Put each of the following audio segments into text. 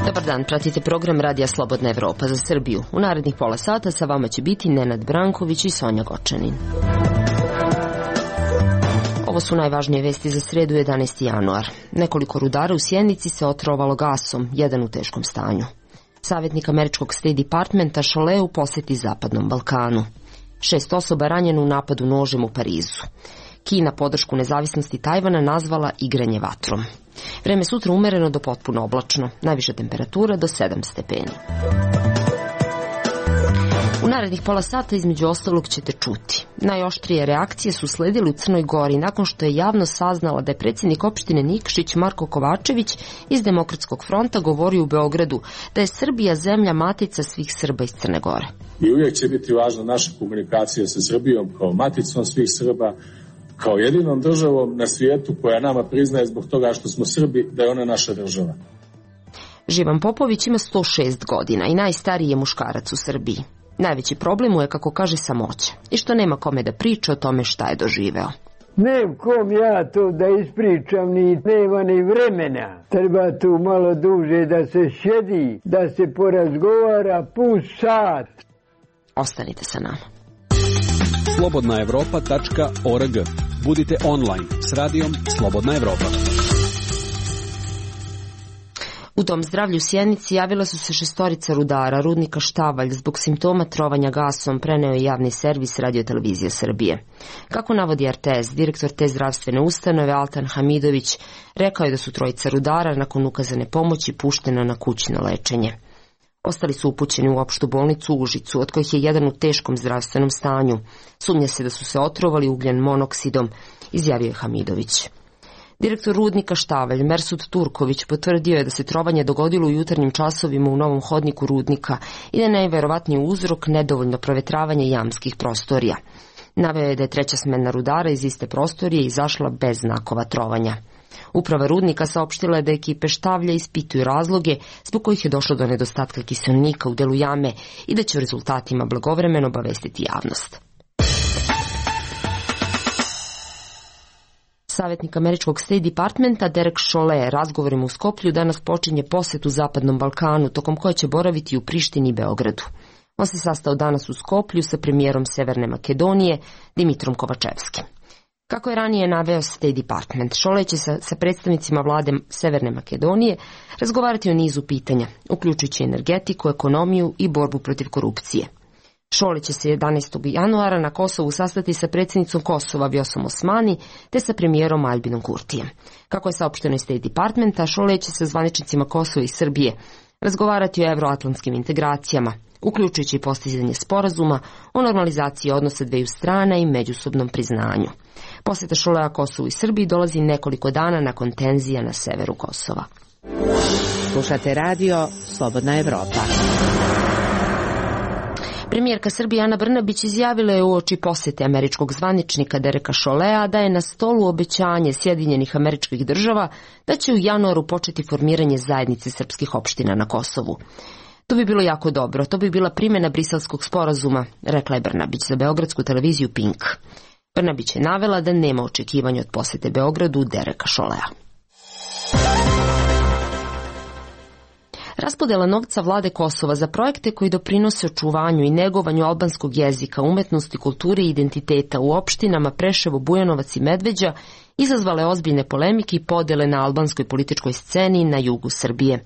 Dobar dan, pratite program Radija Slobodna Evropa za Srbiju. U narednih pola sata sa vama će biti Nenad Branković i Sonja Gočanin. Ovo su najvažnije vesti za sredu 11. januar. Nekoliko rudara u Sjenici se otrovalo gasom, jedan u teškom stanju. Savjetnik američkog State Departmenta Chollet u posjeti Zapadnom Balkanu. 6 osoba ranjeno u napadu nožem u Parizu. Kina podršku nezavisnosti Tajvana nazvala igranje vatrom. Vreme sutra umereno do potpuno oblačno, najviša temperatura do 7 stepeni. U narednih pola sata između ostalog ćete čuti. Najoštrije reakcije su sledile u Crnoj Gori nakon što je javnost saznala da je predsjednik opštine Nikšić Marko Kovačević iz Demokratskog fronta govorio u Beogradu da je Srbija zemlja matica svih Srba iz Crne Gore. I uvijek će biti važna naša komunikacija sa Srbijom kao maticom svih Srba, kao jedinom državom na svijetu koja nama priznaje zbog toga što smo Srbi da je ona naša država. Živan Popović ima 106 godina i najstariji je muškarac u Srbiji. Najveći problem mu je, kako kaže, samoća i što nema kome da priča o tome šta je doživeo. Ne kom ja to da ispričam, ni nema ni vremena. Treba tu malo duže da se sjedi, da se porazgovara pus sat. Ostanite sa nama. slobodnaevropa.org. Budite online s radijom Slobodna Evropa. U Dom zdravlja u Sjenici javila su se 6 rudara rudnika Štavalj zbog simptoma trovanja gasom, preneo je javni servis Radio-televizije Srbije. Kako navodi RTS, direktor te zdravstvene ustanove Altan Hamidović rekao je da su 3 rudara nakon ukazane pomoći puštena na kućno lečenje. Ostali su upućeni u opštu bolnicu u Užicu, od kojih je jedan u teškom zdravstvenom stanju. Sumnja se da su se otrovali ugljen monoksidom, izjavio je Hamidović. Direktor rudnika Štavalj, Mersud Turković, potvrdio je da se trovanje dogodilo u jutarnjim časovima u novom hodniku rudnika i da je najverovatniji uzrok nedovoljno provetravanje jamskih prostorija. Naveo je da je 3. smena rudara iz iste prostorije izašla bez znakova trovanja. Uprava rudnika saopštila je da ekipe Štavlja ispituju razloge zbog kojih je došlo do nedostatka kiselnika u delu jame i da će o rezultatima blagovremeno obavestiti javnost. Savjetnik američkog State Departmenta Derek Chollet razgovorima u Skoplju danas počinje posjet u Zapadnom Balkanu, tokom koje će boraviti u Prištini i Beogradu. On se sastao danas u Skoplju sa premijerom Severne Makedonije Dimitrom Kovačevskim. Kako je ranije naveo State Department, Chollet će sa predstavnicima vlade Severne Makedonije razgovarati o nizu pitanja, uključujući energetiku, ekonomiju i borbu protiv korupcije. Chollet će se 11. januara na Kosovu sastati sa predsjednicom Kosova Vjosom Osmani te sa premijerom Albinom Kurtijem. Kako je saopšteno iz State Departmenta, Chollet će sa zvaničnicima Kosova i Srbije razgovarati o evroatlantskim integracijama, uključujući i postizanje sporazuma o normalizaciji odnosa dveju strana i međusobnom priznanju. Posjeta Cholleta Kosovu i Srbiji dolazi nekoliko dana nakon tenzija na severu Kosova. Slušate radio Slobodna Evropa. Premijerka Srbije Ana Brnabić izjavila je uoči posjete američkog zvaničnika Dereka Cholleta da je na stolu obećanje Sjedinjenih Američkih Država da će u januaru početi formiranje zajednice srpskih opština na Kosovu. To bi bilo jako dobro, to bi bila primjena Briselskog sporazuma, rekla je Brnabić za beogradsku televiziju Pink. Brnabić je navela da nema očekivanja od posjete Beogradu Dereka Cholleta. Raspodela novca vlade Kosova za projekte koji doprinose očuvanju i negovanju albanskog jezika, umetnosti, kulture i identiteta u opštinama Preševo, Bujanovac i Medveđa izazvale ozbiljne polemike i podjele na albanskoj političkoj sceni na jugu Srbije.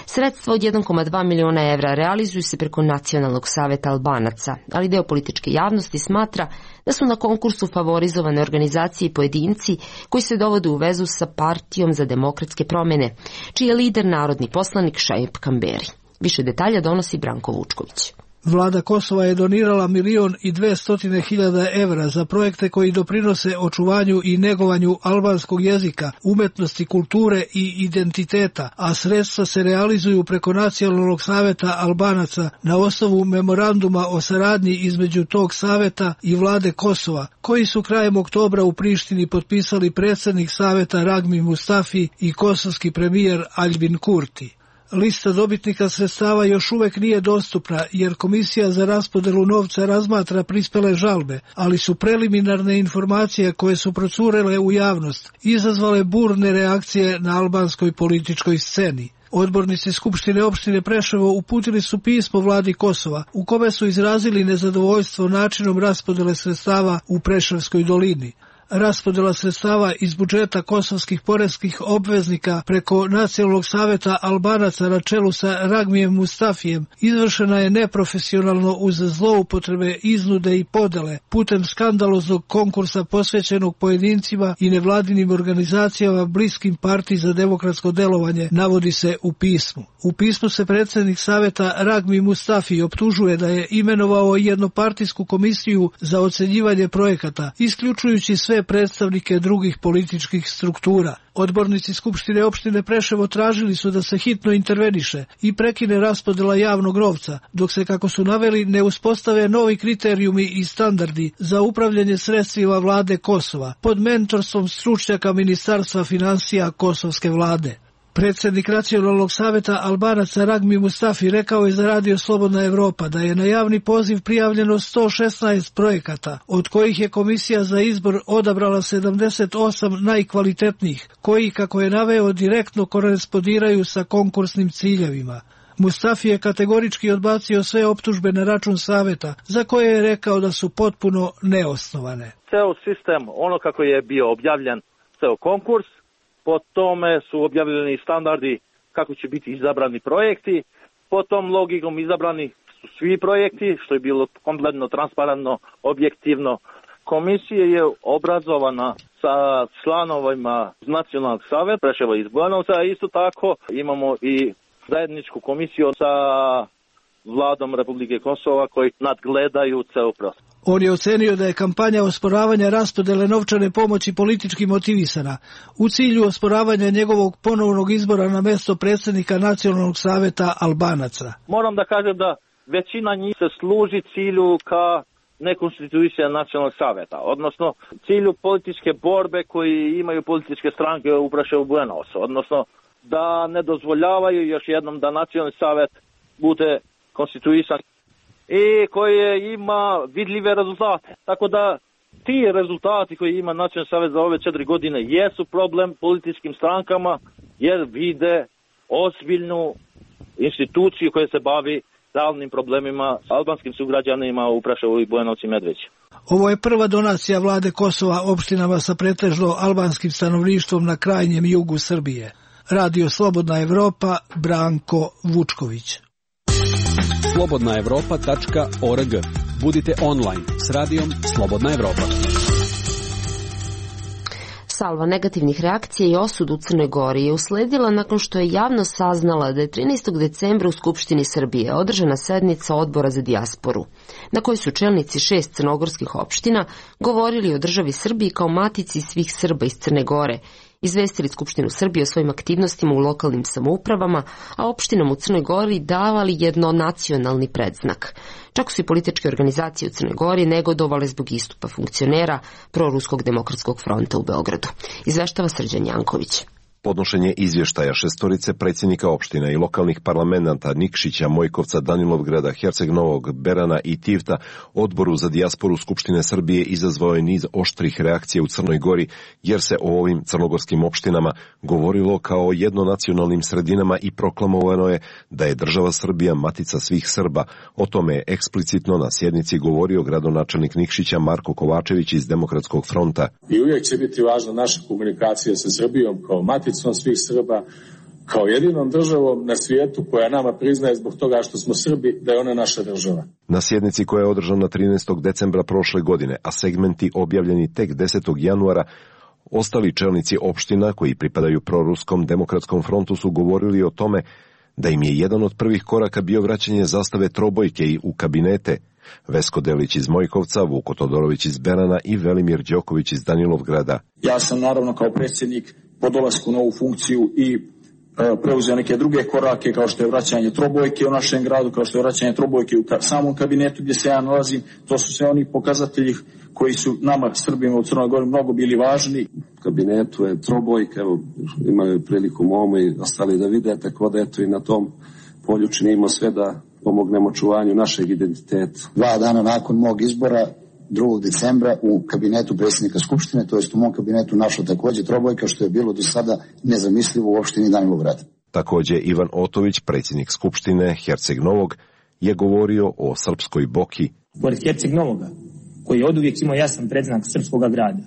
Sredstva od 1,2 miliona evra realizuju se preko Nacionalnog saveta Albanaca, ali deo političke javnosti smatra da su na konkursu favorizovane organizacije i pojedinci koji se dovode u vezu sa Partijom za demokratske promjene, čiji je lider narodni poslanik Šaip Kamberi. Više detalja donosi Branko Vučković. Vlada Kosova je donirala 1.200.000 evra za projekte koji doprinose očuvanju i negovanju albanskog jezika, umetnosti, kulture i identiteta, a sredstva se realizuju preko Nacionalnog saveta Albanaca na osnovu memoranduma o saradnji između tog saveta i vlade Kosova, koji su krajem oktobra u Prištini potpisali predsjednik saveta Ragmi Mustafi i kosovski premijer Albin Kurti. Lista dobitnika sredstava još uvek nije dostupna jer Komisija za raspodelu novca razmatra prispele žalbe, ali su preliminarne informacije koje su procurele u javnost izazvale burne reakcije na albanskoj političkoj sceni. Odbornici Skupštine opštine Preševo uputili su pismo vladi Kosova u kome su izrazili nezadovoljstvo načinom raspodele sredstava u Preševskoj dolini. Raspodela sredstava iz budžeta kosovskih poreskih obveznika preko Nacionalnog saveta Albanaca na čelu sa Ragmijem Mustafijem izvršena je neprofesionalno uz zloupotrebe, iznude i podele putem skandaloznog konkursa posvećenog pojedincima i nevladinim organizacijama bliskim partiji za demokratsko delovanje, navodi se u pismu. U pismu se predsjednik saveta Ragmi Mustafi optužuje da je imenovao jednopartijsku komisiju za ocenjivanje projekata, isključujući sve predstavnike drugih političkih struktura. Odbornici Skupštine opštine Preševo tražili su da se hitno interveniše i prekine raspodela javnog novca, dok se, kako su naveli, ne uspostave novi kriterijumi i standardi za upravljanje sredstvima vlade Kosova pod mentorstvom stručnjaka Ministarstva finansija kosovske vlade. Predsjednik Nacionalnog saveta Albanaca Ragmi Mustafi rekao je za Radio Slobodna Evropa da je na javni poziv prijavljeno 116 projekata, od kojih je komisija za izbor odabrala 78 najkvalitetnijih, koji, kako je naveo, direktno korespondiraju sa konkursnim ciljevima. Mustafi je kategorički odbacio sve optužbe na račun saveta, za koje je rekao da su potpuno neosnovane. Ceo sistem, ono kako je bio objavljen, ceo konkurs, po tome su objavljeni standardi kako će biti izabrani projekti, po tom logikom izabrani su svi projekti, što je bilo kompletno transparentno, objektivno. Komisija je obrazovana sa članovima Nacionalnog saveta Preševa iz Bujanovca, a isto tako imamo i zajedničku komisiju sa vladom Republike Kosova koji nadgledaju ceo proces. On je ocenio da je kampanja osporavanja raspodele novčane pomoći politički motivisana u cilju osporavanja njegovog ponovnog izbora na mesto predsjednika Nacionalnog saveta Albanaca. Moram da kažem da većina njih se služi cilju ka nekonstitucija Nacionalnog saveta, odnosno cilju političke borbe koji imaju političke stranke u Preševu Bujanovcu, odnosno da ne dozvoljavaju još jednom da Nacionalni savet bude konstituisan i koje ima vidljive rezultate. Tako da ti rezultati koji ima Nacionalni savet za ove 4 godine jesu problem političkim strankama jer vide ozbiljnu instituciju koja se bavi realnim problemima albanskim sugrađanima u Preševu i Bujanovcu i Medveđi. Ovo je prva donacija vlade Kosova opštinama sa pretežno albanskim stanovništvom na krajnjem jugu Srbije. Radio Slobodna Evropa, Branko Vučković. slobodnaevropa.org. Budite online s radijom Slobodna Evropa. Salva negativnih reakcija i osudu u Crnoj Gori je usledila nakon što je javnost saznala da je 13. decembra u Skupštini Srbije održana sednica Odbora za dijasporu, na kojoj su čelnici 6 crnogorskih opština govorili o državi Srbiji kao matici svih Srba iz Crne Gore, izvestili Skupštinu Srbije o svojim aktivnostima u lokalnim samoupravama, a opštinama u Crnoj Gori davali jednonacionalni predznak. Čak su i političke organizacije u Crnoj Gori negodovale zbog istupa funkcionera Proruskog demokratskog fronta u Beogradu. Izveštava Srđan Janković. Podnošenje izvještaja 6 predsjednika opština i lokalnih parlamenta Nikšića, Mojkovca, Danilovgrada, Herceg Novog, Berana i Tivta Odboru za dijasporu Skupštine Srbije izazvao je niz oštrih reakcija u Crnoj Gori, jer se o ovim crnogorskim opštinama govorilo kao o jednonacionalnim sredinama i proklamovano je da je država Srbija matica svih Srba. O tome je eksplicitno na sjednici govorio gradonačelnik Nikšića Marko Kovačević iz Demokratskog fronta. I uvijek će biti važna naša komunikacija sa Srbijom kao maticom svih Srba, kao jedinom državom na svijetu koja nama priznaje zbog toga što smo Srbi da je ona naša država. Na sjednici koja je održana 13. decembra prošle godine, a segmenti objavljeni tek 10. januara, ostali čelnici opština koji pripadaju Proruskom demokratskom frontu su govorili o tome da im je jedan od prvih koraka bio vraćanje zastave trobojke i u kabinete. Vesko Delić iz Mojkovca, Vuko Todorović iz Berana i Velimir Đoković iz Danilovgrada. Ja sam naravno kao predsjednik po dolasku na ovu funkciju i preuzeo neke druge korake, kao što je vraćanje trobojke u našem gradu, kao što je vraćanje trobojke u samom kabinetu gdje se ja nalazim. To su sve oni pokazatelji koji su nama Srbima u Crnoj Gori mnogo bili važni. U kabinetu je trobojka, evo imaju priliku momu i ostali da vide, tako da eto i na tom polju činimo sve da pomognemo čuvanju našeg identiteta. 2 dana nakon mog izbora, 2. decembra, u kabinetu predsjednika Skupštine, to jest u mom kabinetu, našla također trobojka, što je bilo do sada nezamislivo u opštini Danilograd. Također Ivan Otović, predsjednik Skupštine Herceg Novog, je govorio o srpskoj boki. Pored Herceg Novoga, koji je oduvijek imao jasan predznak srpskog grada,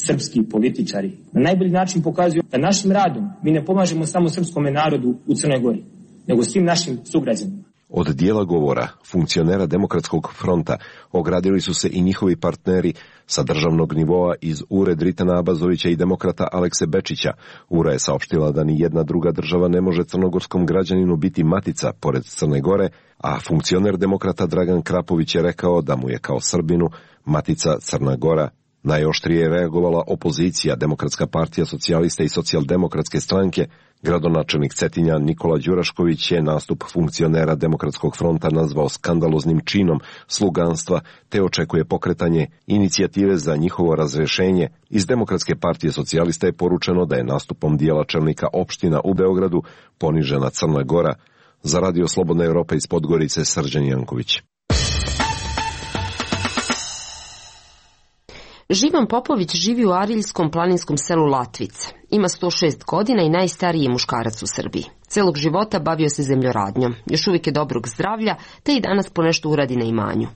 srpski političari na najbolji način pokazuju da našim radom mi ne pomažemo samo srpskom narodu u Crnoj Gori, nego svim našim sugrađanima. Od dijela govora funkcionera Demokratskog fronta ogradili su se i njihovi partneri sa državnog nivoa iz URE Dritana Abazovića i demokrata Alekse Bečića. URA je saopštila da ni jedna druga država ne može crnogorskom građaninu biti matica pored Crne Gore, a funkcioner demokrata Dragan Krapović je rekao da mu je kao Srbinu matica Crna Gora. Najoštrije je reagovala opozicija, Demokratska partija socijalista i socijaldemokratske stranke. Gradonačelnik Cetinja Nikola Đurašković je nastup funkcionera Demokratskog fronta nazvao skandaloznim činom sluganstva, te očekuje pokretanje inicijative za njihovo razrješenje. Iz Demokratske partije socijalista je poručeno da je nastupom dijela čelnika opština u Beogradu ponižena Crna Gora. Za Radio Slobodna Evropa iz Podgorice, Srđan Janković. Živan Popović živi u ariljskom planinskom selu Latvice. Ima 106 godina i najstariji je muškarac u Srbiji. Celog života bavio se zemljoradnjom, još uvijek je dobrog zdravlja, te i danas ponešto uradi na imanju.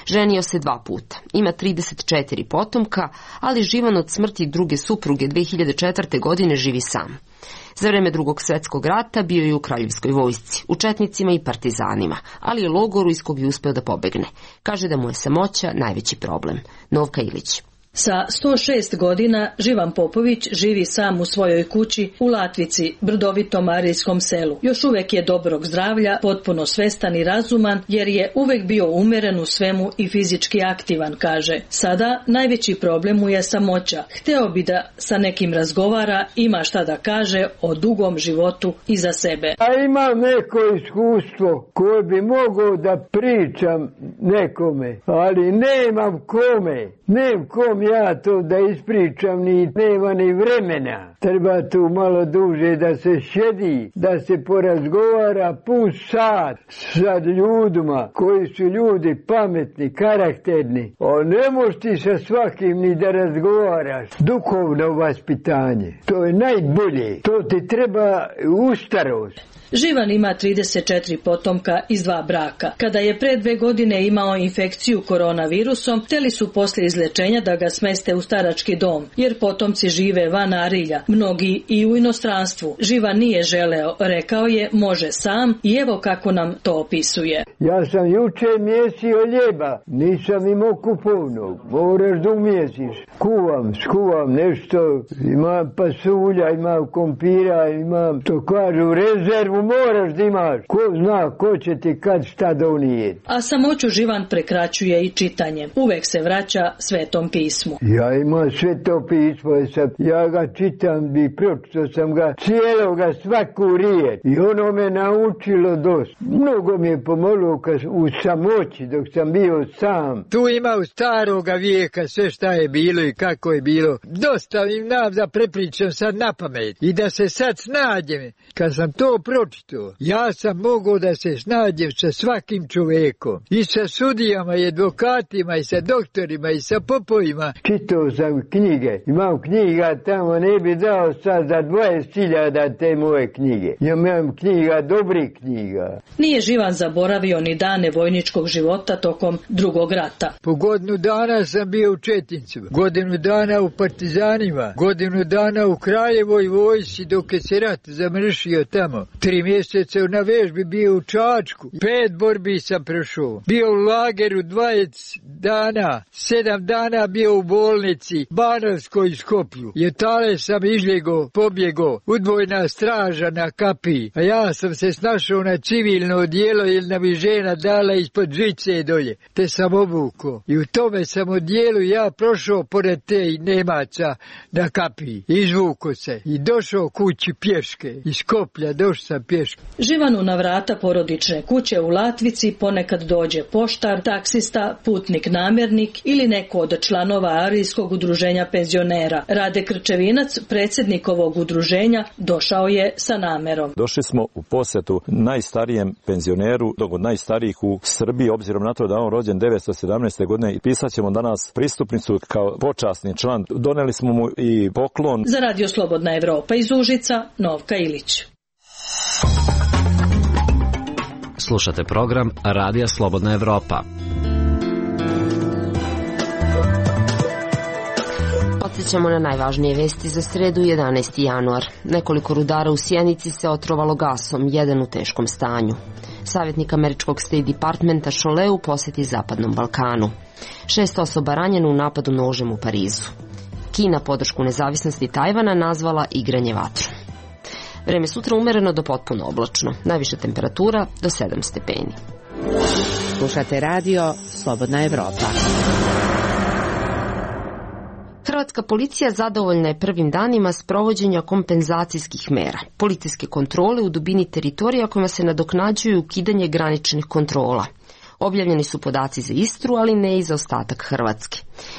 Ženio se 2 puta, ima 34 potomka, ali Živan od smrti druge supruge 2004. godine živi sam. Za vreme Drugog svjetskog rata bio je u Kraljevskoj vojsci, u četnicima i partizanima, ali je logoru iz kog je uspeo da pobegne. Kaže da mu je samoća najveći problem. Novka Ilić. Sa 106 godina Živan Popović živi sam u svojoj kući u Latvici, brdovitom ariljskom selu. Još uvijek je dobrog zdravlja, potpuno svestan i razuman, jer je uvijek bio umeren u svemu i fizički aktivan, kaže. Sada najveći problem mu je samoća. Hteo bi da sa nekim razgovara, ima šta da kaže o dugom životu iza sebe. A imam neko iskustvo koje bi mogao da pričam nekome, ali nemam kome. Nemam kom ja to da ispričam, ni nema ni vremena. Treba tu malo duže da se šedi, da se porazgovara pun sat sa ljudima koji su ljudi pametni, karakterni. Ne možeš ti sa svakim ni da razgovaraš. Duhovno vaspitanje, to je najbolje. To ti treba u starost. Živan ima 34 potomka iz 2 braka. Kada je pre 2 godine imao infekciju koronavirusom, hteli su posle izlečenja da ga smeste u starački dom, jer potomci žive van Arilja, mnogi i u inostranstvu. Živan nije želeo, rekao je može sam i evo kako nam to opisuje. Ja sam juče mjesio ljeba, nisam imao kupovnog, moraš da umjesiš. Skuvam nešto, imam pasulja, imam kompira, imam, to kažu, rezervu moraš da imaš. Ko zna ko će ti kad šta donijeti. A samoću Živan prekraćuje i čitanje. Uvek se vraća Svetom pismu. Ja imam Sveto pismo, ja ga čitam i pročitao sam ga cijeloga svaku riječ. I ono me naučilo dosta. Mnogo mi je pomoglo u samoći dok sam bio sam. Tu ima u staroga vijeka sve šta je bilo i kako je bilo. Dosta im nam da prepričam sad na pamet. I da se sad snađem. Kad sam to pročitao, ja sam mogao da se snađem sa svakim čovekom. I sa sudijama i advokatima i sa doktorima i sa popovima. Čitao sam knjige. Imam knjiga tamo, ne bi dao sad za 20.000 te moje knjige. Ja imam knjiga, dobrih knjiga. Nije Živan zaboravio ni dane vojničkog života tokom Drugog rata. Po godinu dana sam bio u Četincu, godinu dana u partizanima, godinu dana u Kraljevoj vojsci dok je se rat zamršio tamo. 3 4 mjeseca na vežbi bio u Čačku. 5 borbi sam prošao. Bio u lageru 20 dana. 7 dana bio u bolnici Banovskoj Skoplju. I tale sam izbjegao, pobjegao. Udvojna straža na kapiji. A ja sam se snašao na civilno odijelo jer nam je žena dala ispod žice dolje. Te sam obukao. I u tome sam odijelu ja prošao pored te Nemaca na kapiji. Izvuko se i došao kući pješke. Iz Skoplja došao sam pješke. Živanu na vrata porodične kuće u Latvici ponekad dođe poštar, taksista, putnik namjernik ili neko od članova Arijskog udruženja penzionera. Rade Krčevinac, predsjednik ovog udruženja, došao je sa namerom. Došli smo u posjetu najstarijem penzioneru, od najstarijih u Srbiji, obzirom na to da on rođen 917. godine i pisat ćemo danas pristupnicu kao počasni član. Doneli smo mu i poklon. Za Radio Slobodna Evropa iz Užica, Novka Ilić. Slušate program Radija Slobodna Evropa. Podsjećamo na najvažnije vesti za sredu 11. januar. Nekoliko rudara u Sjenici se otrovalo gasom, jedan u teškom stanju. Savjetnik američkog State Departmenta Šole u posjeti Zapadnom Balkanu. 6 osoba ranjeno u napadu nožem u Parizu. Kina podršku nezavisnosti Tajvana nazvala igranje vatrom. Vreme sutra umereno do potpuno oblačno. Najviša temperatura do 7 stepeni. Slušate radio Slobodna Evropa. Hrvatska policija zadovoljna je prvim danima sprovođenja kompenzacijskih mera. Policijske kontrole u dubini teritorija kojima se nadoknađuju ukidanje graničnih kontrola. Objavljeni su podaci za Istru, ali ne i za ostatak Hrvatske.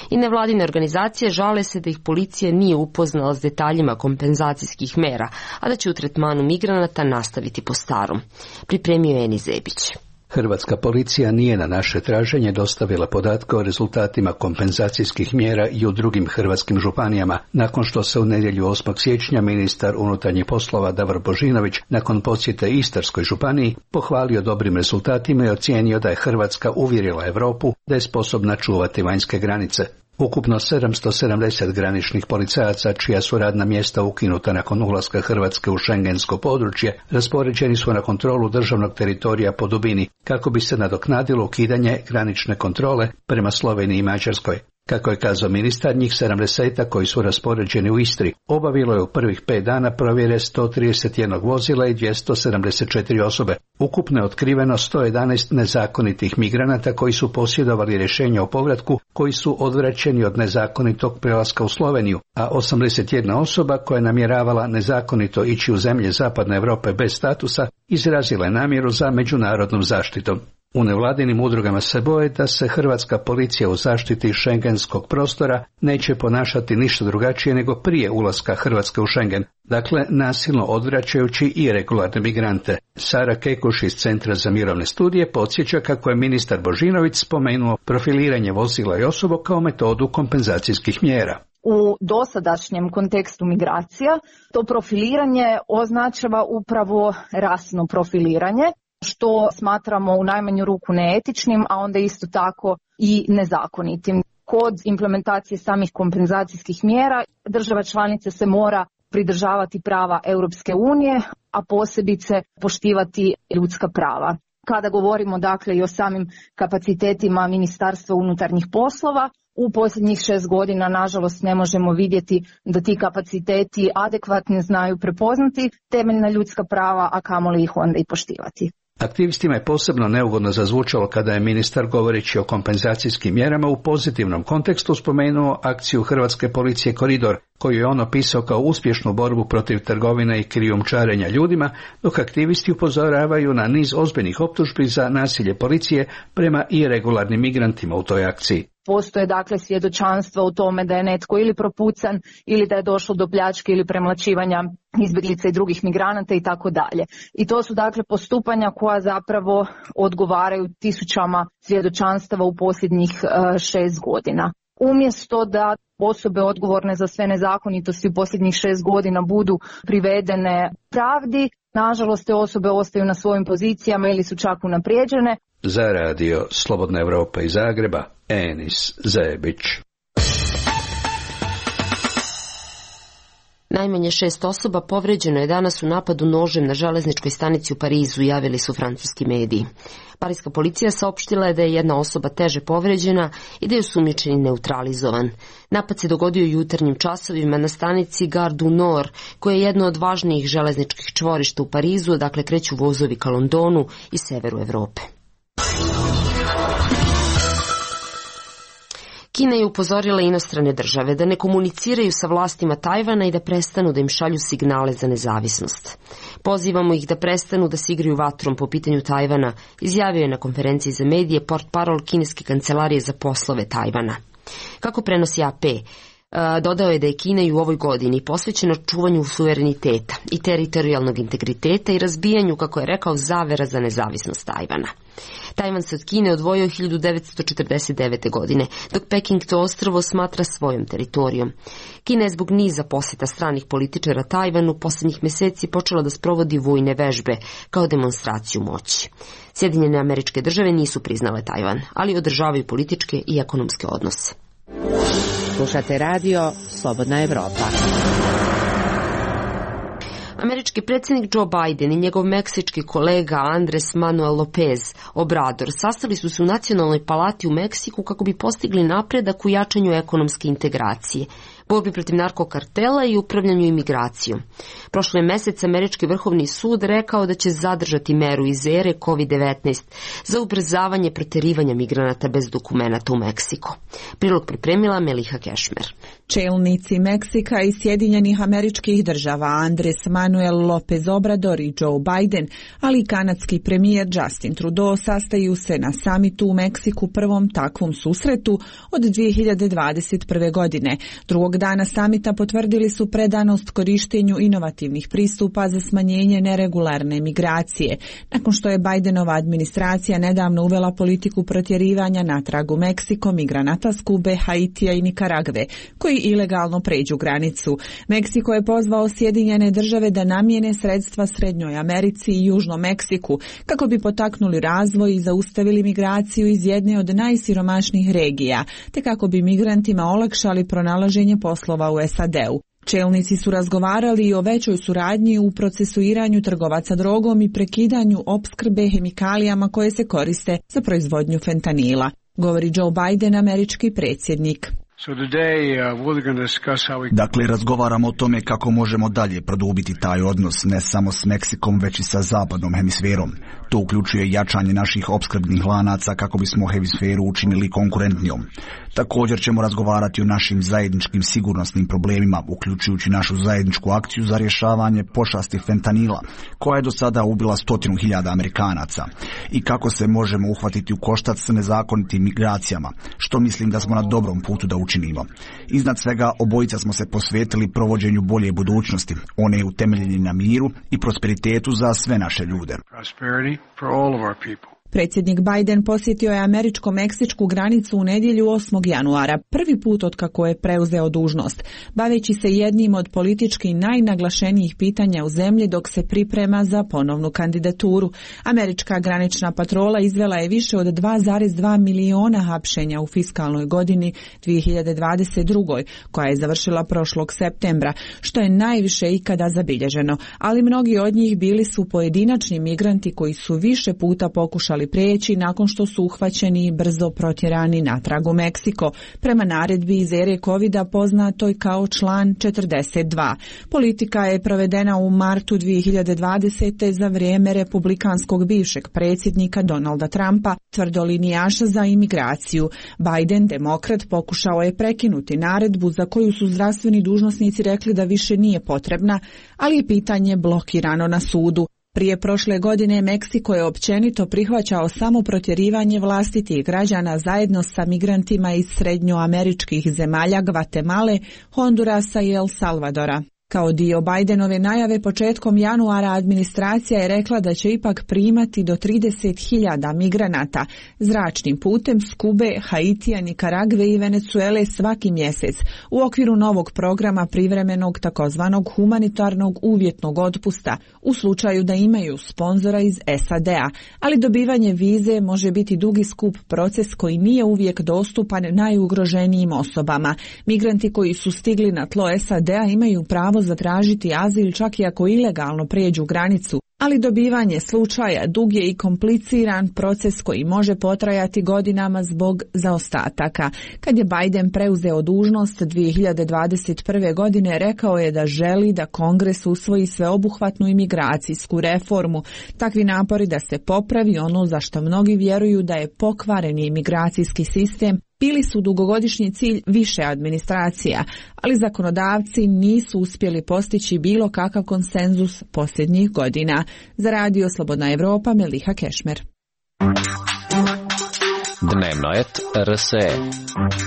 I nevladine organizacije žale se da ih policija nije upoznala s detaljima kompenzacijskih mera, a da će u tretmanu migranata nastaviti po starom. Pripremio je Eni Zebić. Hrvatska policija nije na naše traženje dostavila podatke o rezultatima kompenzacijskih mjera i u drugim hrvatskim županijama, nakon što se u nedjelju 8. siječnja ministar unutarnjih poslova Davor Božinović nakon posjete Istarskoj županiji pohvalio dobrim rezultatima i ocijenio da je Hrvatska uvjerila Europu da je sposobna čuvati vanjske granice. Ukupno 770 graničnih policajaca, čija su radna mjesta ukinuta nakon ulaska Hrvatske u šengensko područje, raspoređeni su na kontrolu državnog teritorija po dubini, kako bi se nadoknadilo ukidanje granične kontrole prema Sloveniji i Mađarskoj. Kako je kazao ministar, njih 70 koji su raspoređeni u Istri obavilo je u prvih 5 dana provjere 131 vozila i 274 osobe. Ukupno je otkriveno 111 nezakonitih migranata koji su posjedovali rješenje o povratku, koji su odvraćeni od nezakonitog prelaska u Sloveniju, a 81 osoba koja je namjeravala nezakonito ići u zemlje Zapadne Europe bez statusa izrazila je namjeru za međunarodnom zaštitom. U nevladinim udrugama se boje da se hrvatska policija u zaštiti šengenskog prostora neće ponašati ništa drugačije nego prije ulaska Hrvatske u Šengen, dakle nasilno odvraćajući i regularne migrante. Sara Kekuš iz Centra za mirovne studije podsjeća kako je ministar Božinović spomenuo profiliranje vozila i osoba kao metodu kompenzacijskih mjera. U dosadašnjem kontekstu migracija to profiliranje označava upravo rasno profiliranje, što smatramo u najmanju ruku neetičnim, a onda isto tako i nezakonitim. Kod implementacije samih kompenzacijskih mjera država članica se mora pridržavati prava Europske unije, a posebice poštivati ljudska prava. Kada govorimo dakle i o samim kapacitetima Ministarstva unutarnjih poslova, u posljednjih 6 godina nažalost ne možemo vidjeti da ti kapaciteti adekvatno znaju prepoznati temeljna ljudska prava, a kamoli ih onda i poštivati. Aktivistima je posebno neugodno zazvučalo kada je ministar, govoreći o kompenzacijskim mjerama, u pozitivnom kontekstu spomenuo akciju hrvatske policije Koridor, koju je on opisao kao uspješnu borbu protiv trgovine i krijumčarenja ljudima, dok aktivisti upozoravaju na niz ozbiljnih optužbi za nasilje policije prema iregularnim migrantima u toj akciji. Postoje dakle svjedočanstva u tome da je netko ili propucan ili da je došlo do pljačke ili premlaćivanja izbjeglica i drugih migranata i tako dalje. I to su dakle postupanja koja zapravo odgovaraju tisućama svjedočanstava u posljednjih 6 godina. Umjesto da osobe odgovorne za sve nezakonitosti u posljednjih 6 godina budu privedene pravdi, nažalost te osobe ostaju na svojim pozicijama ili su čak unaprijeđene. Za radio Slobodna Evropa iz Zagreba, Enis Zebić. Najmanje 6 osoba povređeno je danas u napadu nožem na železničkoj stanici u Parizu, javili su francuski mediji. Pariska policija saopštila je da je jedna osoba teže povređena i da je osumnjičeni neutralizovan. Napad se dogodio jutarnjim časovima na stanici Gare du Nord, koja je jedno od važnijih železničkih čvorišta u Parizu, odakle kreću vozovi ka Londonu i severu Evrope. Kina je upozorila inostrane države da ne komuniciraju sa vlastima Tajvana i da prestanu da im šalju signale za nezavisnost. Pozivamo ih da prestanu da se igraju vatrom po pitanju Tajvana, izjavio je na konferenciji za medije portparol kineske kancelarije za poslove Tajvana. Kako prenosi AP, dodao je da je Kina i u ovoj godini posvećena čuvanju suvereniteta i teritorijalnog integriteta i razbijanju, kako je rekao, zavera za nezavisnost Tajvana. Tajvan se od Kine odvojio 1949. godine, dok Peking to ostrvo smatra svojom teritorijom. Kina je zbog niza posjeta stranih političara Tajvanu posljednjih mjeseci počela da sprovodi vojne vežbe kao demonstraciju moći. Sjedinjene Američke Države nisu priznale Tajvan, ali održavaju političke i ekonomske odnose. Slušate radio Slobodna Evropa. Američki predsjednik Joe Biden i njegov meksički kolega Andres Manuel López Obrador sastali su se u Nacionalnoj palati u Meksiku kako bi postigli napredak u jačanju ekonomske integracije, borbi protiv narkokartela i upravljanju imigracijom. Prošle mjesec Američki vrhovni sud rekao da će zadržati meru iz ere COVID-19 za ubrzavanje proterivanja migranata bez dokumenata u Meksiko. Prilog pripremila Meliha Kešmer. Čelnici Meksika i Sjedinjenih Američkih Država Andres Manuel López Obrador i Joe Biden, ali i kanadski premijer Justin Trudeau sastaju se na samitu u Meksiku, prvom takvom susretu od 2021. godine. Drugog dana samita potvrdili su predanost korištenju inovativnih pristupa za smanjenje neregularne migracije, nakon što je Bidenova administracija nedavno uvela politiku protjerivanja natrag u Meksiko migranata s Kube, Haitija i Nikaragve, koji ilegalno pređu granicu. Meksiko je pozvao Sjedinjene Države da namijene sredstva Srednjoj Americi i Južnom Meksiku kako bi potaknuli razvoj i zaustavili migraciju iz jedne od najsiromašnijih regija, te kako bi migrantima olakšali pronalaženje poslova u SAD-u. Čelnici su razgovarali i o većoj suradnji u procesuiranju trgovaca drogom i prekidanju opskrbe hemikalijama koje se koriste za proizvodnju fentanila, govori Joe Biden, američki predsjednik. Dakle, razgovaramo o tome kako možemo dalje produbiti taj odnos ne samo s Meksikom, već i sa zapadnom hemisferom. To uključuje jačanje naših opskrbnih lanaca kako bismo hemisferu učinili konkurentnijom. Također ćemo razgovarati o našim zajedničkim sigurnosnim problemima, uključujući našu zajedničku akciju za rješavanje pošasti fentanila, koja je do sada ubila 100.000 Amerikanaca, i kako se možemo uhvatiti u koštac s nezakonitim migracijama, što mislim da smo na dobrom putu da učinimo. Iznad svega, obojica smo se posvetili provođenju bolje budućnosti, one je utemeljene na miru i prosperitetu za sve naše ljude. Predsjednik Biden posjetio je američko-meksičku granicu u nedjelju 8. januara, prvi put od kako je preuzeo dužnost, baveći se jednim od politički najnaglašenijih pitanja u zemlji dok se priprema za ponovnu kandidaturu. Američka granična patrola izvela je više od 2,2 miliona hapšenja u fiskalnoj godini 2022. koja je završila prošlog septembra, što je najviše ikada zabilježeno, ali mnogi od njih bili su pojedinačni migranti koji su više puta pokušali prijeći nakon što su uhvaćeni i brzo protjerani natrag u Meksiko, prema naredbi iz ere covida poznatoj kao član 42. Politika je provedena u martu 2020. za vrijeme republikanskog bivšeg predsjednika Donalda Trumpa, tvrdolinijaša za imigraciju. Biden, demokrat, pokušao je prekinuti naredbu za koju su zdravstveni dužnosnici rekli da više nije potrebna, ali je pitanje blokirano na sudu. Prije prošle godine Meksiko je općenito prihvaćao samo protjerivanje vlastitih građana zajedno sa migrantima iz srednjoameričkih zemalja Gvatemale, Hondurasa i El Salvadora. Kao dio Bidenove najave početkom januara administracija je rekla da će ipak primati do 30.000 migranata zračnim putem s Kube, Haitija, Nikaragve i Venezuele svaki mjesec u okviru novog programa privremenog takozvanog humanitarnog uvjetnog otpusta u slučaju da imaju sponzora iz SAD-a, ali dobivanje vize može biti dugi skup proces koji nije uvijek dostupan najugroženijim osobama. Migranti koji su stigli na tlo SAD-a imaju pravo zatražiti azil čak i ako ilegalno prijeđu granicu, ali dobivanje slučaja dug je i kompliciran proces koji može potrajati godinama zbog zaostataka. Kad je Biden preuzeo dužnost 2021. godine, rekao je da želi da Kongres usvoji sveobuhvatnu imigracijsku reformu. Takvi napori da se popravi ono za što mnogi vjeruju da je pokvareni imigracijski sistem bili su dugogodišnji cilj više administracija, ali zakonodavci nisu uspjeli postići bilo kakav konsenzus posljednjih godina. Za Radio Slobodna Evropa, Meliha Kešmer. Dnevno et RSE.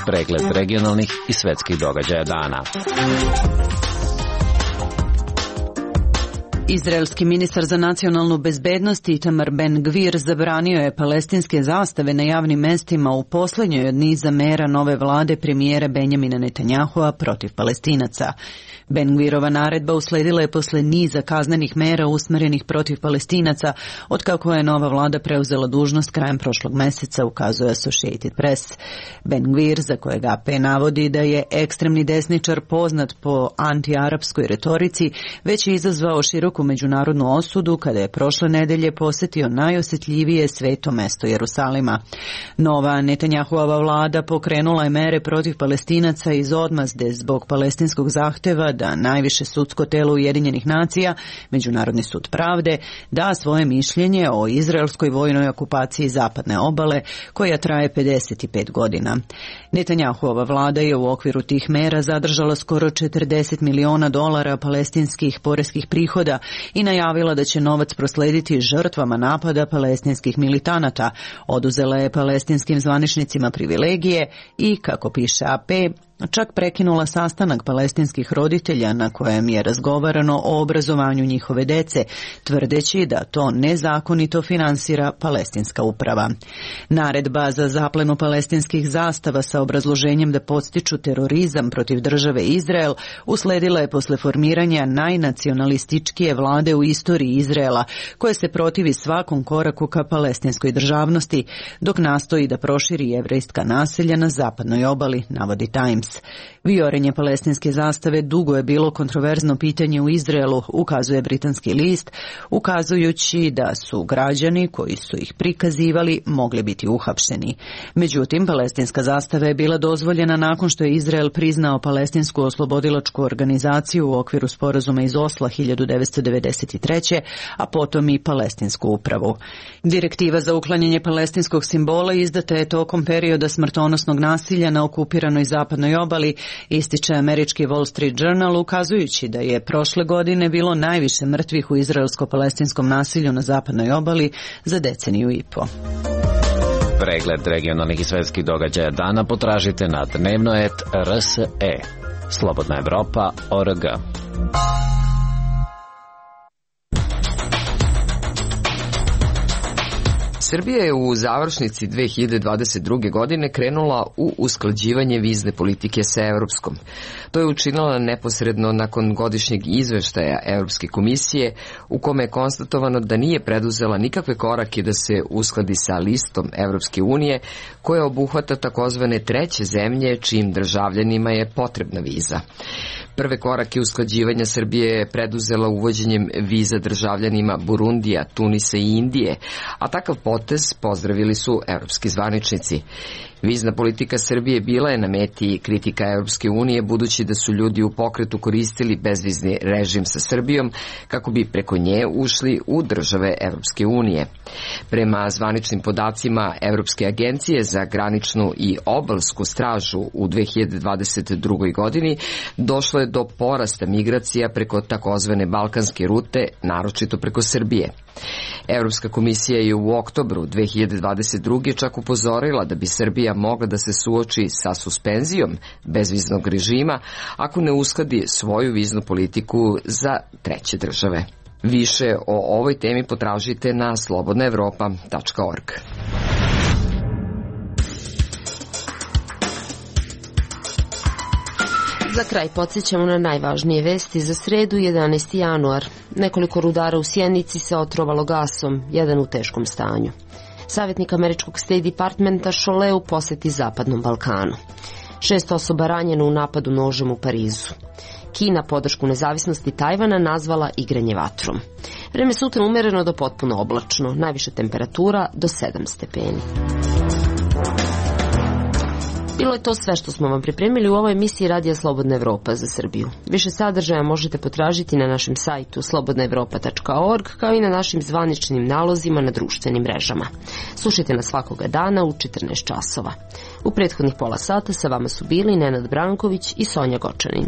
Pregled regionalnih i svetskih događaja dana. Izraelski ministar za nacionalnu bezbednost Itamar Ben-Gvir zabranio je palestinske zastave na javnim mestima u posljednjoj od niza mera nove vlade premijera Benjamina Netanjahua protiv Palestinaca. Ben-Gvirova naredba usledila je posle niza kaznenih mera usmjerenih protiv Palestinaca, otkako je nova vlada preuzela dužnost krajem prošlog meseca, ukazuje Associated Press. Ben-Gvir, za kojeg AP navodi da je ekstremni desničar poznat po antiarapskoj retorici, već je izazvao široku međunarodnu osudu kada je prošle nedelje posjetio najosjetljivije sveto mesto Jerusalima. Nova Netanjahuova vlada pokrenula je mere protiv Palestinaca iz odmazde zbog palestinskog zahtjeva da najviše sudsko telo Ujedinjenih nacija, Međunarodni sud pravde, da svoje mišljenje o izraelskoj vojnoj okupaciji zapadne obale, koja traje 55 godina. Netanjahuova vlada je u okviru tih mera zadržala skoro $40 miliona palestinskih poreskih prihoda i najavila da će novac proslediti žrtvama napada palestinskih militanata. Oduzela je palestinskim zvaničnicima privilegije i, kako piše AP, čak prekinula sastanak palestinskih roditelja na kojem je razgovarano o obrazovanju njihove dece, tvrdeći da to nezakonito finansira palestinska uprava. Naredba za zaplenu palestinskih zastava sa obrazloženjem da podstiču terorizam protiv države Izrael usledila je posle formiranja najnacionalističkije vlade u istoriji Izraela, koje se protivi svakom koraku ka palestinskoj državnosti, dok nastoji da proširi jevrejska naselja na zapadnoj obali, navodi Times. Viorenje palestinske zastave dugo je bilo kontroverzno pitanje u Izraelu, ukazuje britanski list, ukazujući da su građani koji su ih prikazivali mogli biti uhapšeni. Međutim, palestinska zastava je bila dozvoljena nakon što je Izrael priznao palestinsku oslobodilačku organizaciju u okviru sporazuma iz Osla 1993. a potom i palestinsku upravu. Direktiva za uklanjanje palestinskog simbola izdata je tokom perioda smrtonosnog nasilja na okupiranoj zapadnoj obali, ističe američki Wall Street Journal, ukazujući da je prošle godine bilo najviše mrtvih u izraelsko-palestinskom nasilju na zapadnoj obali za deceniju i po. Pregled regionalnih i svetskih događaja dana potražite na dnevnoet.rse. Slobodna Evropa.org. Srbija je u završnici 2022. godine krenula u usklađivanje vizne politike sa Europskom. To je učinila neposredno nakon godišnjeg izveštaja Europske komisije, u kome je konstatovano da nije preduzela nikakve korake da se uskladi sa listom Europske unije, koja obuhvata takozvane treće zemlje čijim državljanima je potrebna viza. Prve korake usklađivanja Srbije je preduzela uvođenjem viza državljanima Burundija, Tunisa i Indije, a takav potez pozdravili su europski zvaničnici. Vizna politika Srbije bila je na meti kritika Europske unije, budući da su ljudi u pokretu koristili bezvizni režim sa Srbijom kako bi preko nje ušli u države Europske unije. Prema zvaničnim podacima Europske agencije za graničnu i obalsku stražu u 2022. godini došlo je do porasta migracija preko takozvane balkanske rute, naročito preko Srbije. Europska komisija je u oktobru 2022. čak upozorila da bi Srbija mogla da se suoči sa suspenzijom bezviznog režima ako ne uskladi svoju viznu politiku za treće države. Više o ovoj temi potražite na slobodnaevropa.org. Za kraj podsjećamo na najvažnije vesti za sredu 11. januar. Nekoliko rudara u Sjenici se otrovalo gasom, jedan u teškom stanju. Savjetnik američkog State Departmenta Šoleu posjeti Zapadnom Balkanu. 6 osoba ranjeno u napadu nožem u Parizu. Kina podršku nezavisnosti Tajvana nazvala igranje vatrom. Vreme sutra umereno do potpuno oblačno, najviša temperatura do 7 stepeni. Bilo je to sve što smo vam pripremili u ovoj emisiji Radija Slobodna Evropa za Srbiju. Više sadržaja možete potražiti na našem sajtu slobodnaevropa.org, kao i na našim zvaničnim nalozima na društvenim mrežama. Slušajte nas svakoga dana u 14 časova. U prethodnih pola sata sa vama su bili Nenad Branković i Sonja Gočanin.